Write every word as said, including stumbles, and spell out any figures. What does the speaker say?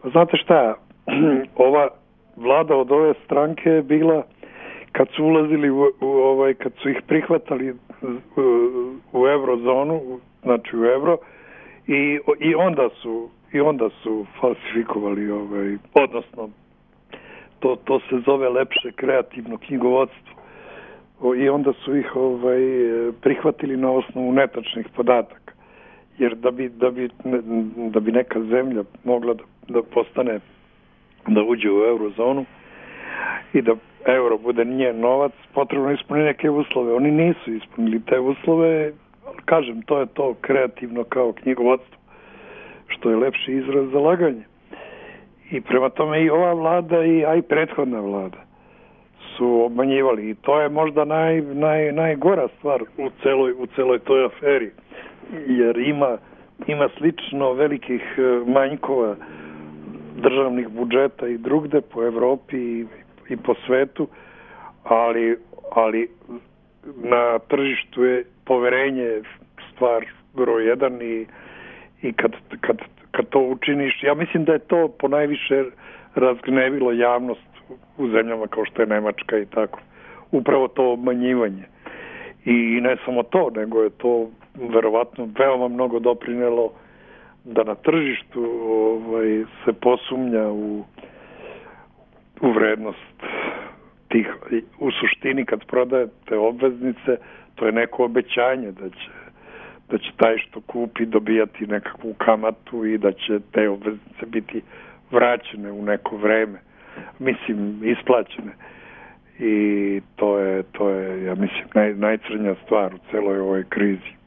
Pa znate šta, ova vlada od ove stranke je bila, kad su ulazili u, u ovaj, kad su ih prihvatali u, u eurozonu, znači u euro, i, i onda su i onda su falsifikovali ovaj, odnosno to, to se zove lepše kreativno knjigovodstvo. I onda su ih ovaj, prihvatili na osnovu netačnih podataka. Jer da bi, da bi, da bi neka zemlja mogla da, da postane, da uđe u eurozonu i da euro bude njen novac, potrebno ispuniti neke uslove. Oni nisu ispunili te uslove, kažem, to je to kreativno kao knjigovodstvo, što je lepši izraz za laganje. I prema tome i ova vlada i, a i prethodna vlada su obmanjivali. I to je možda naj, naj, najgora stvar u celoj, u celoj toj aferi. Jer ima, ima slično velikih manjkova državnih budžeta i drugde po Evropi i, i po svetu, ali, ali na tržištu je poverenje stvar broj jedan i, i kad, kad, kad to učiniš, ja mislim da je to ponajviše razgnevilo javnost u zemljama kao što je Nemačka i tako. Upravo to obmanjivanje. I ne samo to, nego je to verovatno veoma mnogo doprinelo da na tržištu ovaj, se posumnja u, u vrednost tih. U suštini kad prodajete obveznice, to je neko obećanje da će, da će taj što kupi dobijati nekakvu kamatu i da će te obveznice biti vraćene u neko vreme. Mislim, isplaćene. I to je, to je ja mislim, naj, najcrnja stvar u celoj ovoj krizi.